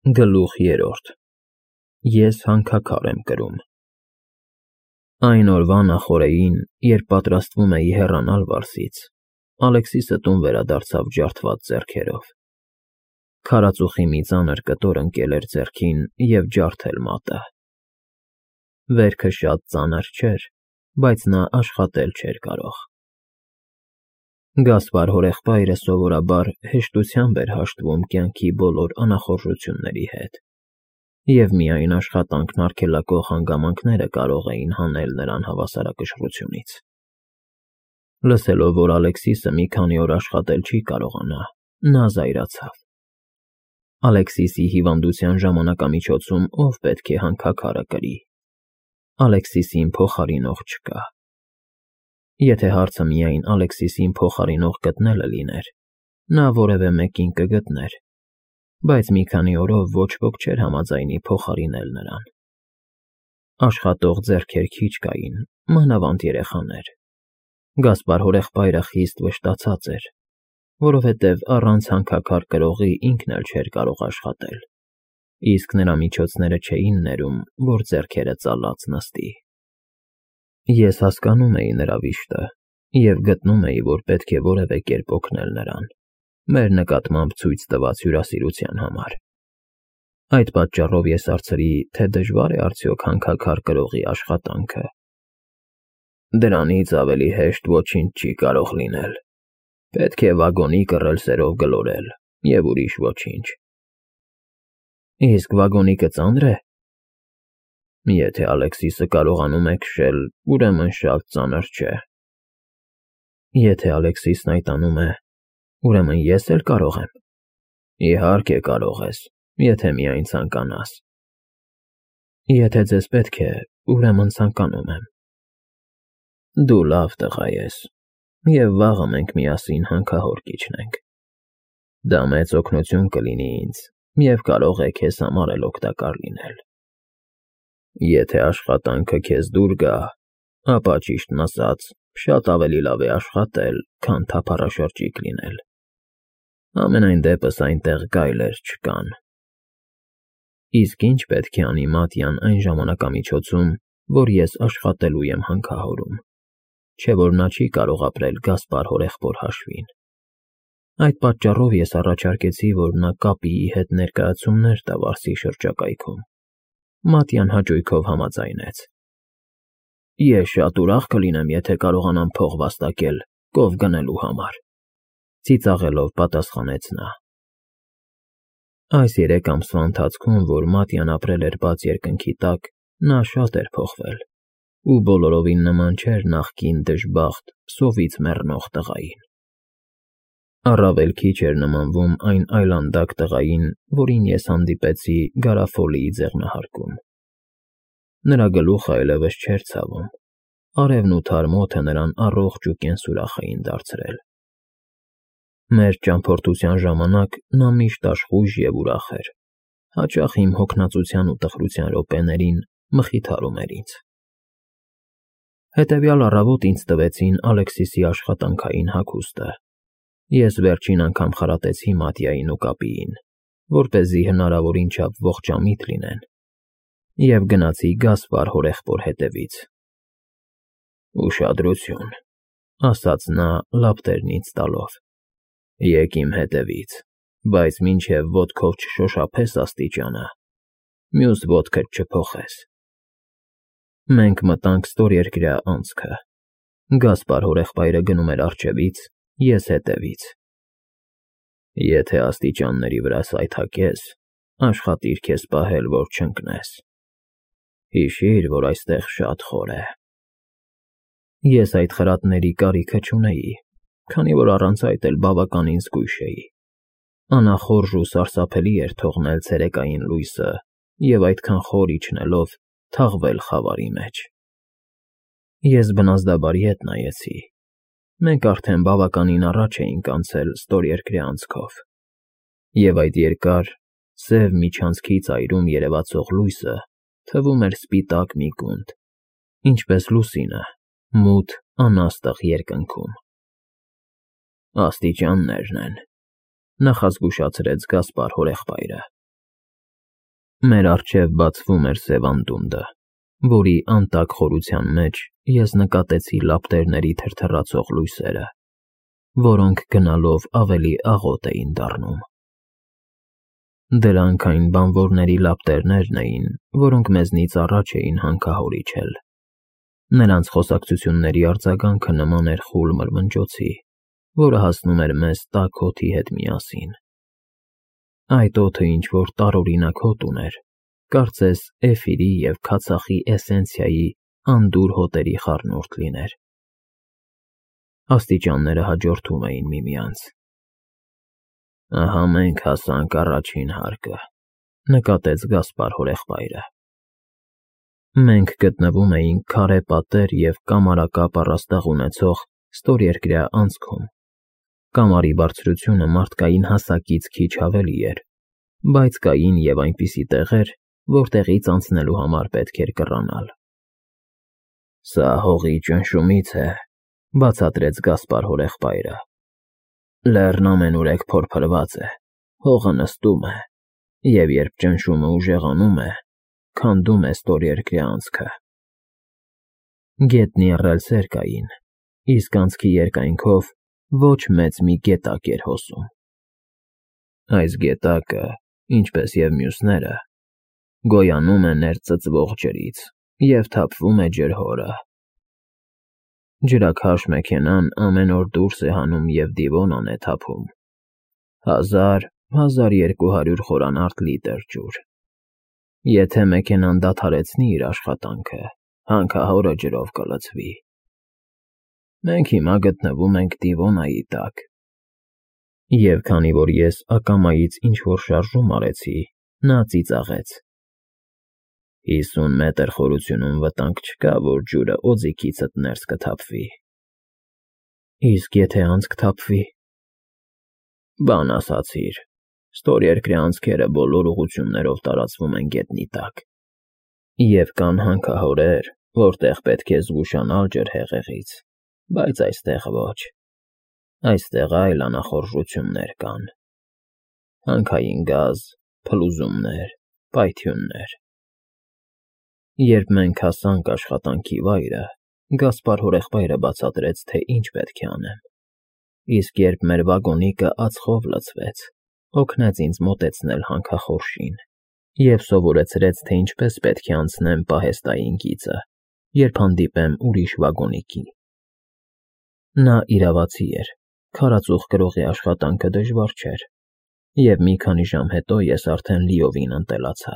Գլուխ 3 Ես հանքաքար եմ կրում։ Այն օրվա նախօրեին, երբ պատրաստվում էի հեռանալ Վարսից, Ալեքսիսը տուն վերադարձավ ջարդված ձեռքերով։ Քարածուխի մի ծանր կտոր ընկել էր ձեռքին և ջարդել մատը։ Վերքը շատ ծանր չէր, բայց նա աշխատել չէր կարող։ Գասպար հորեղբայրը սովորաբար հեշտությամբ էր հաշտվում կյանքի բոլոր անախորժությունների հետ, և միայն աշխատանքն արգելակող հանգամանքները կարող էին հանել նրան հավասարակշռությունից։ Լսելով, որ Ալեքսիսը մի քանի օր աշխատել չի կարողանա, նա զայրացավ։ Ալեքսիսի հիվանդության ժամանակամիջոցում ով պետք է հանքաքարը կրի։ Ալեքսիսին փոխարինող չկա։ Եթե հարցը միայն Ալեքսիսին փոխարինող գտնելը լիներ, նա որևէ մեկին կգտներ, բայց մի քանի օրով ոչ ոք չէր համաձայնի փոխարինել նրան։ Աշխատող ձեռքեր քիչ կային, մանավանդ երեխաներ։ Գասպար հորեղբայրը խիստ վշտացած էր, որովհետև առանց հանքաքար կրողի ինքն էլ չէր կարող աշխատել, իսկ նրա միջոցները չէին ներում, որ ձեռքերը ծալած նստի։ Ես հասկանում էի նրա վիշտը և գտնում էի, որ պետք է որևէ կերպ օգնել նրան, մեր նկատմամբ ցույց տված հյուրասիրության համար։ Այդ պատճառով ես հարցրի, թե դժվա՞ր է արդյոք հանքաքար կրողի աշխատանքը։ Դրանից ավելի հեշտ ոչինչ չի կարող լինել։ Պետք է վագոնի կռել սերով գլորել և ուրիշ ոչինչ։ Իսկ վագոնիկը ծա՞նր է։ Եթե Ալեքսիսը կարողանում է քշել, ուրեմն շատ ծանր չէ։ Եթե Ալեքսիսն այդ անում է, ուրեմն ես էլ կարող եմ։ Իհարկե կարող ես, եթե միայն ցանկանաս։ Եթե ձեզ պետք է, ուրեմն ցանկանում եմ։ Դու լավ տղա ես, և վաղը մենք միասին հանքահոր կիջնենք։ Դա մեծ օգնություն կլինի ինձ և կարող է քեզ համար էլ օգտակար լինել։ Եթե աշխատանքը քեզ դուր գա, ապա ճիշտն ասած, շատ ավելի լավ է աշխատել, քան թափառաշրջիկ լինել։ Համենայն դեպս այնտեղ գայլեր չկան։ Իսկ ի՞նչ պետք է անի Մատյան այն ժամանակամիջոցում, որ ես աշխատելու եմ հանքահորում, չէ՞ որ նա չի կարող ապրել Գասպար հորեղբոր հաշվին։ Այդ պատճառով ես առաջարկեցի, որ նա կապիի հետ ներկայացումներ տա Վարսի շրջակայքում։ Մատյան հաճույքով համաձայնեց։ Ես շատ ուրախ կլինեմ, եթե կարողանամ փող վաստակել կով գնելու համար, ծիծաղելով պատասխանեց նա։ Այս 3 ամսվա ընթացքում, որ Մատյան ապրել էր բաց երկնքի տակ, նա շատ էր փոխվել ու բոլորովին նման չէր նախկին դժբախտ, սովից մեռնող տղային։ Առավել քիչ էր նմանվում այն այլանդակ տղային, որին ես հանդիպեցի Գարաֆոլիի ձեղնահարկում։ Նրա գլուխը այլևս չէր ցավում, արևն ու թարմ օդը նրան առողջ ու կենսուրախ էին դարձրել։ Մեր ճամփորդության ժամանակ նա միշտ աշխույժ և ուրախ էր, հաճախ իմ հոգնածության ու տխրության րոպեներին մխիթարում էր ինձ։ Հետևյալ առավոտ ինձ տվեցին Ալեքսիսի աշխատանքային հագուստը։ Ես վերջին անգամ խրատեցի Մատյային ու կապիին, որպեսզի հնարավորին չափ ողջամիտ լինեն, և գնացի Գասպար հորեղբոր հետևից։ Ուշադրություն, ասաց նա լապտերն ինձ տալով։ Եկ իմ հետևից, բայց մինչև ոտքով չշոշափես աստիճանը, մյուս ոտքդ չփոխես։ Մենք մտանք ստորերկրյա անցքը։ Գասպար հորեղբայրը գնում էր առջևից, ես հետևից։ Եթե աստիճանների վրա սայթաքես, աշխատիր քեզ պահել, որ չընկնես։ Հիշիր, որ այստեղ շատ խոր է։ Ես այդ խրատների կարիքը չունեի, քանի որ առանց այդ էլ բավականին զգույշ էի։ Անախորժ ու սարսափելի էր թողնել ցերեկային լույսը և այդքան խոր իջնելով թաղվել խավարի մեջ։ Ես բնազդաբար ետ նայեցի։ Մենք արդեն բավականին առաջ էինք անցել ստորերկրյա անցքով, և այդ երկար, սև միջանցքի ծայրում երևացող լույսը թվում էր սպիտակ մի գունդ, ինչպես լուսինը մութ, անաստղ երկնքում։ Աստիճաններն են, նախազգուշացրեց Գասպար հորեղբայրը։ Մեր առջև բացվում էր սև անդունդը, որի անտակ խորության մեջ ես նկատեցի լապտերների թրթռացող լույսերը, որոնք գնալով ավելի աղոտ էին դառնում։ Դրանք այն բանվորների լապտերներն էին, որոնք մեզնից առաջ էին հանքահորիչել։ Նրանց խոսակցությունների արձագանքը նման էր խուլ մրմնջոցի, որը հասնում էր մեզ տաք օդի հետ միասին։ Այդ օդը ինչ-որ տարօրինակ հոտ ուներ, կարծես էֆիրի և քացախի էսենցիայի անդուր հոտերի խառնուրդ լիներ։ Աստիճանները հաջորդում էին միմյանց։ Ահա մենք հասանք առաջին հարկը, նկատեց Գասպար հորեղբայրը։ Մենք գտնվում էինք քարե պատեր և կամարակապ առաստաղ ունեցող ստորերկրյա անցքում։ Կամարի բարձրությունը մարդկային հասակից քիչ ավելի էր, բայց կային և այնպիսի տեղեր, որտեղից անցնելու համար պետք էր կռանալ։ Սա հողի ճնշումից է, բացատրեց Գասպար հորեղբայրը։ Լեռն ամենուրեք փորփրված է, հողը նստում է, և երբ ճնշումը ուժեղանում է, քանդում է ստորերկրյա անցքը։ Գետնի ռելսեր կային, իսկ անցքի երկայնքով ոչ մեծ մի գետակ էր հոսում։ Այս գետակը, ինչպես և մյուսները, գոյանում է ներծծվող ջրից և թափվում է ջրհորը։ Ջրաքաշ մեքենան ամեն օր դուրս է հանում և Դիվոնան է թափում 1000-1200 խորանարդ լիտր ջուր։ Եթե մեքենան դադարեցնի իր աշխատանքը, հանքահորը ջրով կլցվի։ Մենք հիմա գտնվում ենք Դիվոնայի տակ։ Եվ քանի որ ես ակամայից ինչ-որ շարժում արեցի, նա ծիծաղեց. 50 մետր խորությունում վտանգ չկա, որ ջուրը օձիքիցդ ներս կթափվի։ Իսկ եթե անցք թափվի։ Բան ասացիր, ստորերկրյա անցքերը բոլոր ուղղություններով տարածվում են գետնի տակ։ Եվ կան հանքահորեր, որտեղ պետք է զգուշանալ ջրհեղեղից, բայց այստեղ ոչ։ Այստեղ այլ անախորժություններ կան։ Հանքային գազ, փլուզումներ, պայթյուններ։ Երբ մենք հասանք աշխատանքի վայրը, Գասպար հորեղբայրը բացատրեց, թե ինչ պետք է անեմ, իսկ երբ մեր վագոնիկը ածխով լցվեց, օգնեց ինձ մոտեցնել հանքախորշին և սովորեցրեց, թե ինչպես պետք է անցնեմ պահեստային գիծը, երբ հանդիպեմ ուրիշ վագոնիկի։ Նա իրավացի էր, քարածուխ կրողի աշխատանքը դժվար չէր, և մի քանի ժամ հետո ես արդեն լիովին ընտելացա։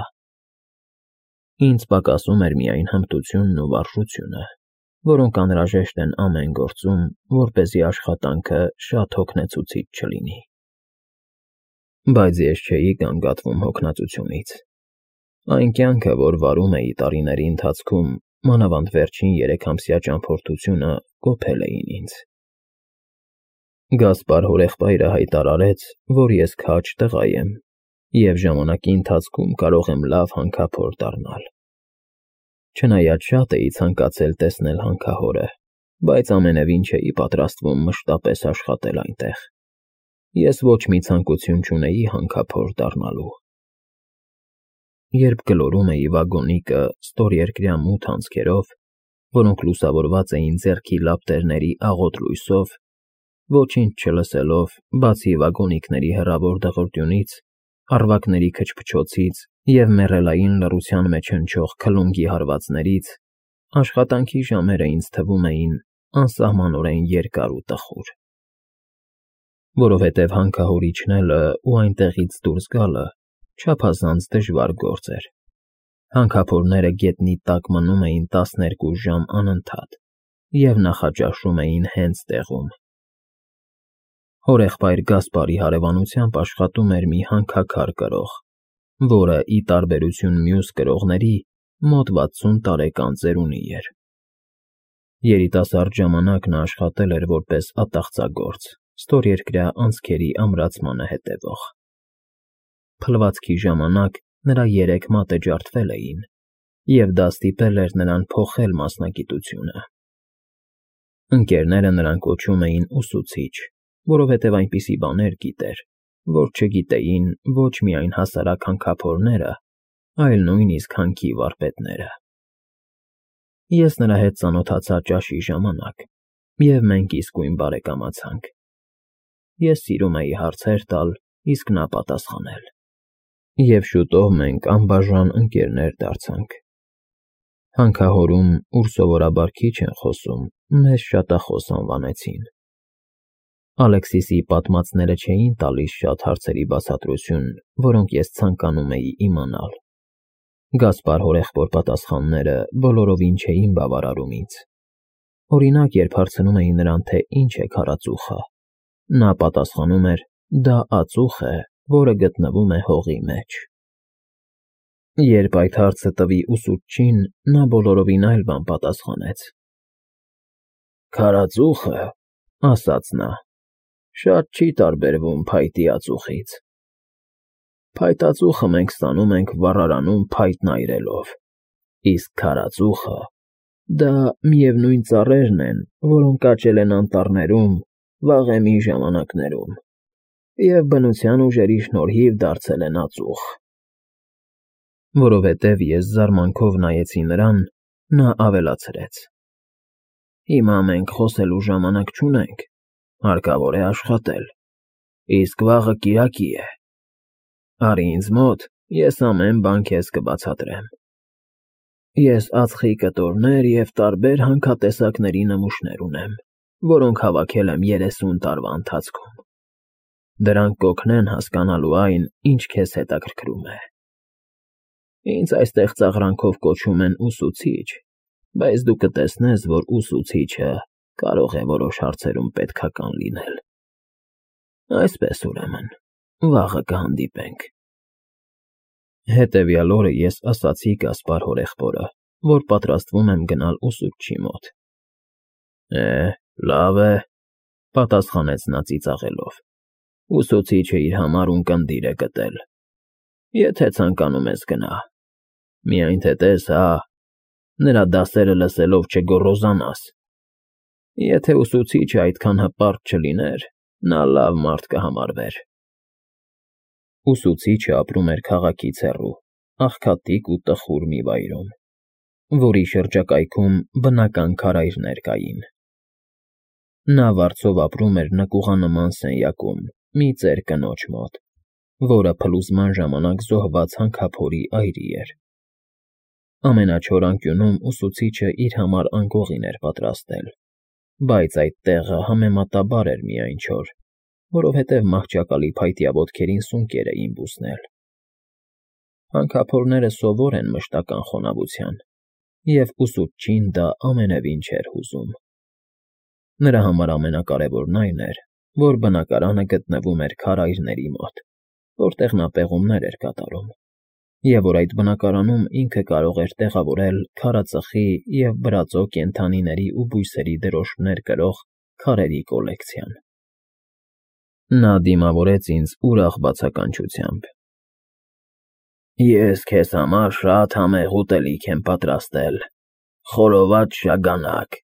Ինձ պակասում էր միայն հմտությունն ու վարժությունը, որոնք անհրաժեշտ են ամեն գործում, որպեսզի աշխատանքը շատ հոգնեցուցիչ չլինի։ Բայց ես չէի գանգատվում հոգնածությունից։ Այն կյանքը, որ վարում էի տարիների ընթացքում, մանավանդ վերջին 3-ամսյա ճամփորդությունը, կոփել էին ինձ։ Գասպար հորեղբայրը հայտարարեց, որ ես քաջ տղա եմ, և ժամանակի ընթացքում կարող եմ լավ հանքափոր դառնալ։ Չնայած շատ էի ցանկացել տեսնել հանքահորը, բայց ամենևին չէի պատրաստվում մշտապես աշխատել այնտեղ։ Ես ոչ մի ցանկություն չունեի հանքափոր դառնալու։ Երբ գլորում էի վագոնիկը ստորերկրյա մութ անցքերով, որոնք լուսավորված էին ձեռքի լապտերների աղոտ լույսով, ոչինչ չլսելով, բացի վագոնիկների հեռավոր դղրդյունից, առվակների քչփչոցից և մեռելային լռության մեջ հնչող քլունգի հարվածներից, աշխատանքի ժամերը ինձ թվում էին անսահմանորեն երկար ու տխուր։ Որովհետև հանքահոր իջնելը ու այնտեղից դուրս գալը չափազանց դժվար գործ էր։ Հանքափորները գետնի տակ մնում էին 12 ժամ անընդհատ և նախաճաշում էին հենց տեղում։ Հորեղբայր Գասպարի հարևանությամբ աշխատում էր մի հանքաքար կրող, որը, ի տարբերություն մյուս կրողների, մոտ 60 տարեկան ծերունի էր։ Երիտասարդ ժամանակ նա աշխատել էր որպես ատաղծագործ, ստորերկրյա անցքերի ամրացմանը հետևող։ Փլվածքի ժամանակ նրա 3 մատը ջարդվել էին, և դա ստիպել էր նրան փոխել մասնագիտությունը։ Ընկերները նրան կոչում էին ուսուցիչ, որովհետև այնպիսի բաներ գիտեր, որ չգիտեին ոչ միայն հասարակ հանքափորները, այլ նույնիսկ հանքի վարպետները։ Ես նրա հետ ծանոթացա ճաշի ժամանակ, և մենք իսկույն բարեկամացանք։ Ես սիրում էի հարցեր տալ, իսկ նա պատասխանել։ Եվ շուտով մենք անբաժան ընկերներ դարձանք։ Հանքահորում, ուր սովորաբար քիչ են խոսում, մեզ շատախոս անվանեցին։ Ալեքսիսի պատմածները չէին տալիս շատ հարցերի բացատրություն, որոնք ես ցանկանում էի իմանալ։ Գասպար հորեղբոր պատասխանները բոլորովին չէին բավարարում ինձ։ Օրինակ, երբ հարցնում էի նրան, թե ինչ է քարածուխը, նա պատասխանում էր. դա ածուխ է, որը գտնվում է հողի մեջ։ Երբ այդ հարցը տվի ուսուցչին, նա բոլորովին այլ բան պատասխանեց։ Քարածուխը, ասաց նա, շատ չի տարբերվում փայտի ածուխից։ Փայտածուխը մենք ստանում ենք վառարանում փայտն այրելով, իսկ քարածուխը դա միևնույն ծառերն են, որոնք աճել են անտառներում վաղեմի ժամանակներում և բնության ուժերի շնորհիվ դարձել են ածուխ։ Որովհետև ես զարմանքով նայեցի նրան, նա ավելացրեց. Հիմա մենք խոսելու ժամանակ չունենք, հարկավոր է աշխատել, իսկ վաղը կիրակի է։ Արի ինձ մոտ, ես ամեն բան քեզ կբացատրեմ։ Ես ածխի կտորներ և տարբեր հանքատեսակների նմուշներ ունեմ, որոնք հավաքել եմ 30 տարվա ընթացքում։ Դրանք կօգնեն հասկանալու այն, ինչ քեզ հետաքրքրում է։ Ինձ այստեղ ծաղրանքով կոչում են ուսուցիչ, բայց դու կտեսնես, որ ուսուցիչը կարող է որոշ հարցերում պետքական լինել։ Այսպես ուրեմն, վաղը կհանդիպենք։ Հետևյալ օրը ես ասացի Գասպար հորեղբորը, որ պատրաստվում եմ գնալ ուսուցչի մոտ։ Լավ է, պատասխանեց նա ծիծաղելով։ Ուսուցիչը իր համար ունկնդիր է գտել։ Եթե ցանկանում ես գնա, միայն թե տես, նրա դասերը լսելով չգոռոզանաս։ Եթե ուսուցիչը այդքան հպարտ չլիներ, նա լավ մարդ կհամարվեր։ Ուսուցիչը ապրում էր քաղաքից հեռու, աղքատիկ ու տխուր մի վայրում, որի շրջակայքում բնական քարայրներ կային։ Նա վարձով ապրում էր նկուղանման սենյակում մի ծեր կնոջ մոտ, որը փլուզման ժամանակ զոհված հանքափորի այրի էր։ Ամենաչոր անկյունում ուսուցիչը իր համար անկողին էր պատրաստել, բայց այդ տեղը համեմատաբար էր միայն չոր, որովհետև մահճակալի փայտյա ոտքերին սունկեր էին բուսնել։ Հանքափորները սովոր են մշտական խոնավության, և ուսուցչին դա ամենևին չէր հուզում։ Նրա համար ամենակարևորն այն էր, որ բնակարանը գտնվում էր քարայրների մոտ, որտեղ նա պեղումներ էր կատարում, և որ այդ բնակարանում ինքը կարող էր տեղավորել քարածխի և բրածո կենդանիների ու բույսերի դրոշներ կրող քարերի կոլեկցիան։ Նա դիմավորեց ինձ ուրախ բացականչությամբ։ Ես քեզ համար շատ համեղ ուտելիք եմ պատրաստել, խորոված շագանակ։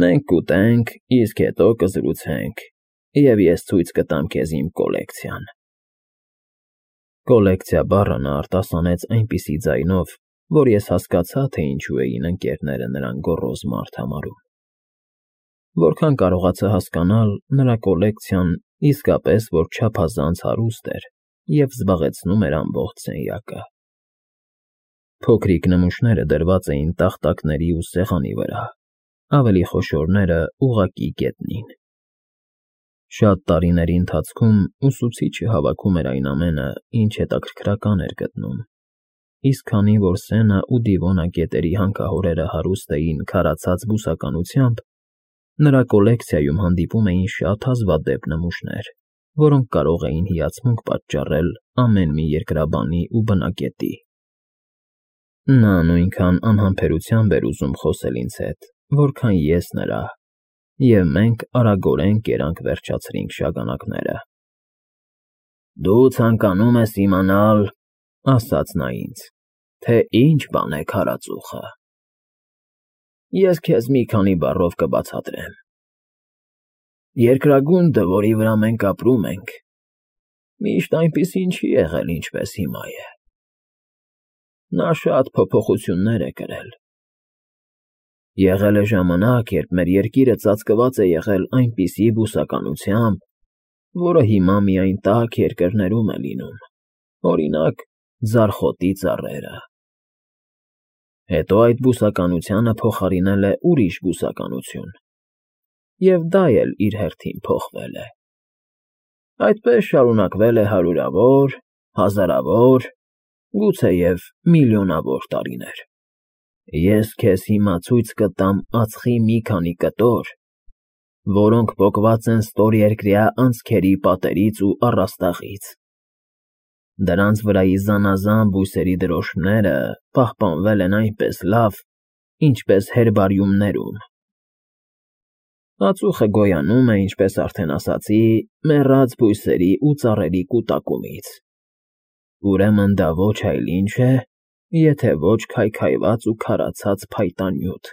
Մենք կուտենք, իսկ հետո կզրուցենք, և ես ցույց կտամ քեզ իմ կոլեկցիան։ Կոլեկցիա բառը նա արտասանեց այնպիսի ձայնով, որ ես հասկացա, թե ինչու էին ընկերները նրան գոռոզ մարդ համարում։ Որքան կարողացա հասկանալ, նրա կոլեկցիան իսկապես որ չափազանց հարուստ էր և զբաղեցնում էր ամբողջ սենյակը։ Փոքրիկ նմուշները դրված էին տախտակների ու սեղանի վրա, ավելի խոշորները ուղղակի գետնին։ Շատ տարիների ընթացքում ուսուցիչը հավաքում էր այն ամենը, ինչ հետաքրքրական էր գտնում, իսկ քանի որ Սենա ու Դիվոնա գետերի հանքահորերը հարուստ էին քարացած բուսականությամբ, նրա կոլեկցիայում հանդիպում էին շատ հազվադեպ նմուշներ, որոնք կարող էին հիացմունք պատճառել ամեն մի երկրաբանի ու բնակետի։ Նա նույնքան անհամբերությամբ էր ուզում խոսել ինձ հետ, որքան ես նրա, և մենք արագորեն կերանք վերջացրինք շագանակները։ Դու ցանկանում ես իմանալ, ասաց նա ինձ, թե ինչ բան է քարածուխը։ Ես քեզ մի քանի բառով կբացատրեմ։ Երկրագունդը, որի վրա մենք ապրում ենք, միշտ այնպիսին չի եղել, ինչպես հիմա է։ Նա շատ փոփոխություններ է կրել։ Եղել է ժամանակ, երբ մեր երկիրը ծածկված է եղել այնպիսի բուսականությամբ, որը հիմա միայն տաք երկրներում է լինում, օրինակ, ձարխոտի ծառերը։ Հետո այդ բուսականությանը փոխարինել է ուրիշ բուսականություն, և դա էլ իր հերթին փոխվել է։ Այդպես շարունակվել է հարյուրավոր, հազարավոր, գուցեև միլիոնավոր տարիներ։ Ես քեզ հիմա ցույց կտամ ածխի մի քանի կտոր, որոնք պոկված են ստորերկրյա անցքերի պատերից ու առաստաղից։ Դրանց վրայի զանազան բույսերի դրոշմները պահպանվել են այնպես լավ, ինչպես հերբարիումներում։ Ածուխը գոյանում է, ինչպես արդեն ասացի, մեռած բույսերի ու ծառերի կուտակումից։ Ուրեմն դա ոչ այլ ինչ է, եթե ոչ քայքայված ու քարացած փայտանյութ։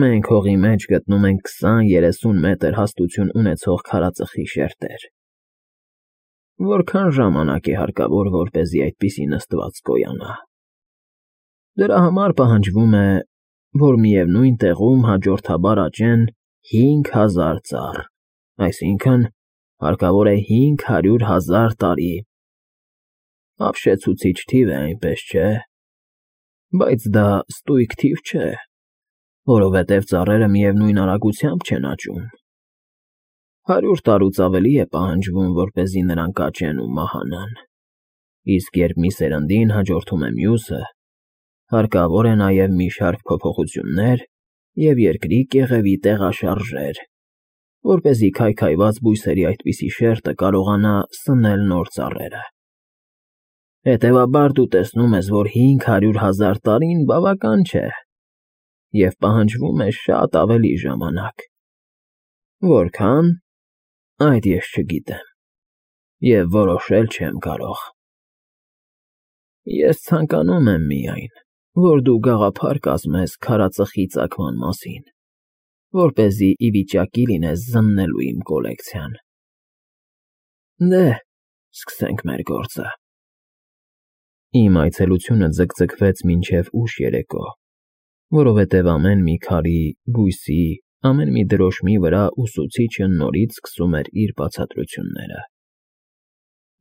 Մենք հողի մեջ գտնում ենք 20-30 մետր հաստություն ունեցող քարածխի շերտեր։ Որքան ժամանակ է հարկավոր, որպեսզի այդպիսի նստված գոյանա։ Դրա համար պահանջվում է, որ միևնույն տեղում հաջորդաբար աճեն 5000 ծառ, այսինքն՝ հարկավոր է 500,000 տարի։ Ապշեցուցիչ թիվ է, այնպես չէ՞։ Բայց դա ստույգ թիվ չէ, որովհետև ծառերը միևնույն արագությամբ չեն աճում։ 100 տարուց ավելի է պահանջվում, որպեսզի նրանք աճեն ու մահանան, իսկ երբ մի սերնդին հաջորդում է մյուսը, հարկավոր է նաև մի շարք փոփոխություններ և երկրի կեղևի տեղաշարժեր, որպեսզի քայքայված բույսերի այդպիսի շերտը կարողանա սնել նոր ծառերը։ Հետևաբար դու տեսնում ես, որ 500,000 տարին բավական չէ, և պահանջվում է շատ ավելի ժամանակ։ Որքան, այդ ես չգիտեմ, և որոշել չեմ կարող։ Ես ցանկանում եմ միայն, որ դու գաղափար կազմես քարածխի ծագման մասին, որպեսզի ի վիճակի լինես զննելու իմ կոլեկցիան։ Դե, սկսենք մեր գործը։ Իմ այցելությունը ձգձգվեց մինչև ուշ երեկո, որովհետև ամեն մի քարի, բույսի, ամեն մի դրոշմի վրա ուսուցիչը նորից սկսում էր իր բացատրությունները։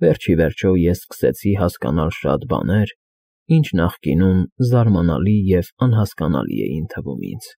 Վերջ ի վերջո ես սկսեցի հասկանալ շատ բաներ, ինչ նախկինում զարմանալի և անհասկանալի էին թվում ինձ։